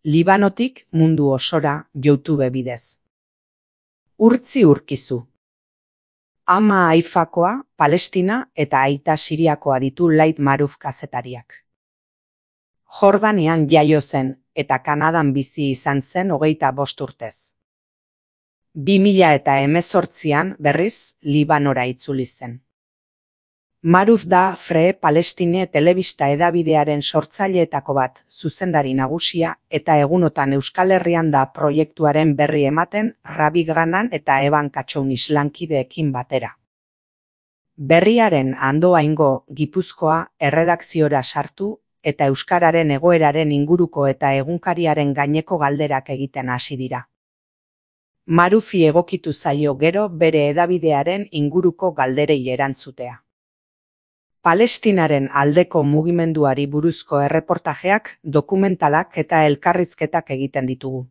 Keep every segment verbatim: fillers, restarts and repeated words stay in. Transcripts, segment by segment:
Libanotik mundu osora YouTube bidez. Urtzi urkizu. Ama Haifakoa, Palestina eta aita Siriakoa ditu Laith Marouf kazetariak. Jordanian jaio zen eta Kanadan bizi izan zen hogeita bost urtez. Bi mila eta hemezortzian berriz Libanora itzuli zen. Marouf da Free Palestine telebista hedabidearen sortzaileetako bat, zuzendari nagusia, eta egunotan Euskal Herrian da proiektuaren berri ematen Rabi Granan eta Eban Katxounis lankideekin batera. Berriaren andoaingo Gipuzkoa erredakziora sartu eta euskararen egoeraren inguruko eta egunkariaren gaineko galderak egiten hasi dira. Maroufi egokitu zaio gero bere hedabidearen inguruko galderei erantzutea. Palestinaren aldeko mugimenduari buruzko erreportajeak, dokumentalak eta elkarrizketak egiten ditugu.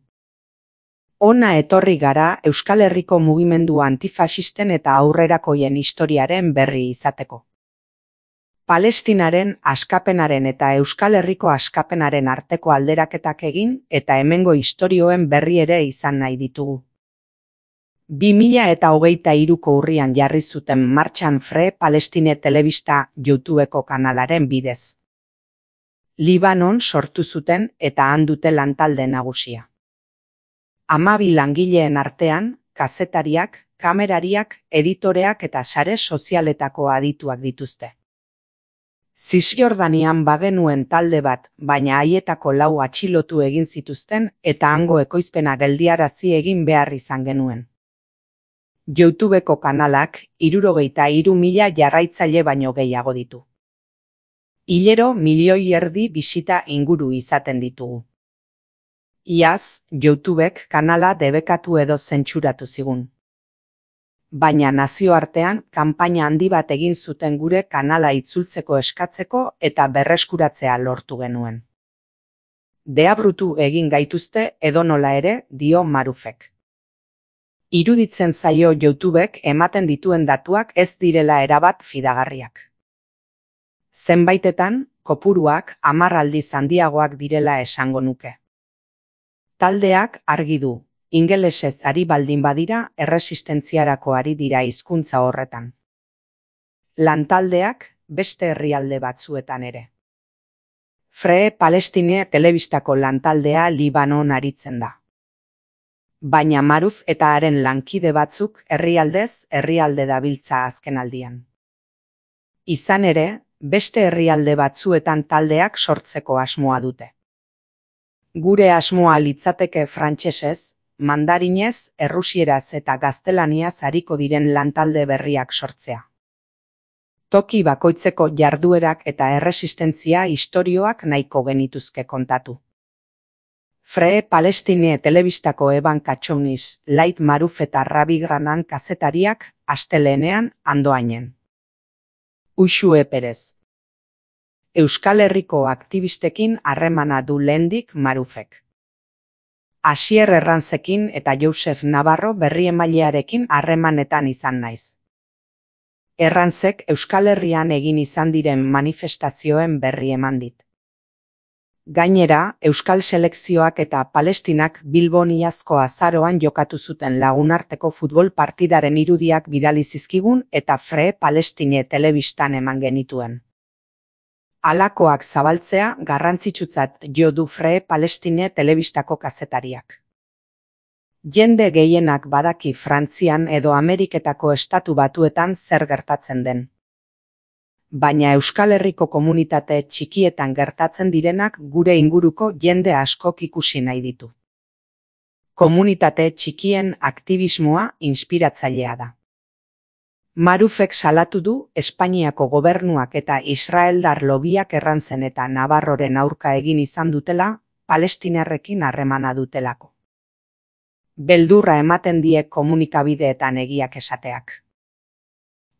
Hona etorri gara Euskal Herriko mugimendu antifaxisten eta aurrerakoien historiaren berri izateko. Palestinaren askapenaren eta Euskal Herriko askapenaren arteko alderaketak egin eta hemengo istorioen berri ere izan nahi ditugu. Bi mila eta hogeita hiruko urrian jarri zuten martxan Free Palestine telebista YouTubeko kanalaren bidez. Libanon sortu zuten eta han dute lantalde nagusia. Hamabi langileen artean, kazetariak, kamerariak, editoreak eta sare sozialetako adituak dituzte. Zisjordanian bagenuen talde bat, baina haietako lau atxilotu egin zituzten eta hango ekoizpena geldiarazi egin behar izan genuen. YouTubeko kanalak hirurogeita hiru mila jarraitzaile baino gehiago ditu. Hilero milioi erdi bisita inguru izaten ditugu. Iaz, YouTubek kanala debekatu edo zentsuratu zigun. Baina nazioartean kanpaina handi bat egin zuten gure kanala itzultzeko eskatzeko eta berreskuratzea lortu genuen. Deabrutu egin gaituzte edonola ere, dio Maroufek. Iruditzen zaio YouTubek ematen dituen datuak ez direla erabat fidagarriak. Zenbaitetan, kopuruak hamar aldiz handiagoak direla esango nuke. Taldeak argi du, ingelesez ari baldin badira erresistentziarako ari dira hizkuntza horretan. Lantaldeak beste herrialde batzuetan ere. Free Palestine telebistako lantaldea Libanon aritzen da. Baina Marouf eta haren lankide batzuk herrialdez herrialde dabiltza azkenaldian. Izan ere, beste herrialde batzuetan taldeak sortzeko asmoa dute. Gure asmoa litzateke frantsesez, mandarinez, errusieraz eta gaztelaniaz ariko diren lantalde berriak sortzea. Toki bakoitzeko jarduerak eta erresistentzia istorioak nahiko genituzke kontatu. Free Palestine telebistako Eban Katxounis, Laith Marouf eta Rabi Granan kazetariak astelehenean andoainen. Uxue Perez. Euskal Herriko aktibistekin harremana du lehendik Maroufek. Asier Errantzekin eta Josef Navarro berriemailearekin harremanetan izan naiz. Errantzek Euskal Herrian egin izan diren manifestazioen berri eman dit. Gainera, Euskal selekzioak eta Palestinak Bilbon iazko azaroan jokatu zuten lagunarteko futbol partidaren irudiak bidali zizkigun eta Free Palestine telebistan eman genituen. Halakoak zabaltzea garrantzitsutzat jo du Free Palestine telebistako kazetariak. Jende gehienak badaki Frantzian edo Ameriketako estatu batuetan zer gertatzen den. Baina Euskal Herriko komunitate txikietan gertatzen direnak gure inguruko jende askok ikusi nahi ditu. Komunitate txikien aktivismoa inspiratzailea da. Maroufek salatu du Espainiako gobernuak eta israeldar lobiak Errantzen eta Navarroren aurka egin izan dutela, palestinarrekin harremana dutelako. Beldurra ematen die komunikabideetan egiak esateak.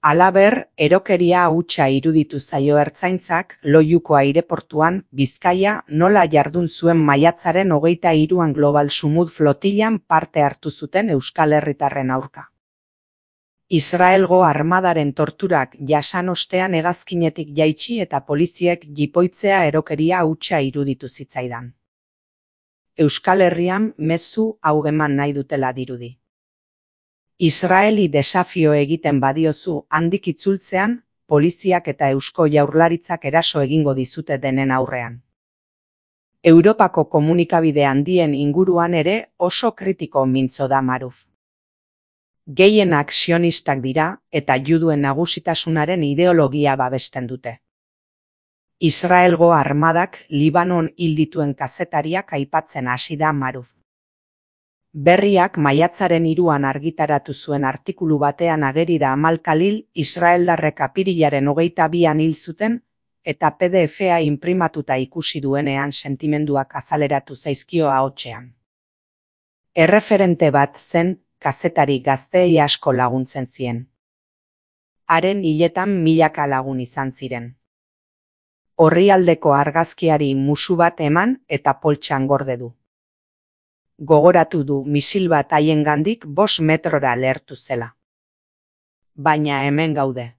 Halaber, erokeria hutsa iruditu zaio Ertzaintzak Loiuko aireportuan Bizkaia nola jardun zuen maiatzaren hogeita hiruan Global Sumud flotilan parte hartu zuten Euskal Herritarren aurka. Israelgo armadaren torturak jasan ostean hegazkinetik jaitsi eta poliziek jipoitzea erokeria hutsa iruditu zitzaidan. Euskal Herrian mezu hau eman nahi dutela dirudi. Israeli desafio egiten badiozu handik itzultzean, poliziak eta Eusko Jaurlaritzak eraso egingo dizute denen aurrean. Europako komunikabide handien inguruan ere oso kritiko mintzo da Maruf. Gehienak sionistak dira eta juduen nagusitasunaren ideologia babesten dute. Israelgo armadak Libanon hil dituen kazetariak aipatzen hasi da Maruf. Berriak maiatzaren hiruan argitaratu zuen artikulu batean ageri da Amal Khalil israeldarrek apirilaren hogeita bian hil zuten eta P D F-a inprimatuta ikusi duenean sentimenduak azaleratu zaizkio ahotsean. Erreferente bat zen kazetari gazteei asko laguntzen zien. Haren hiletan milaka lagun izan ziren. Orrialdeko argazkiari musu bat eman eta poltsan gorde du. Gogoratu du misil bat haiengandik bost metrora lehertu zela. Baina hemen gaude.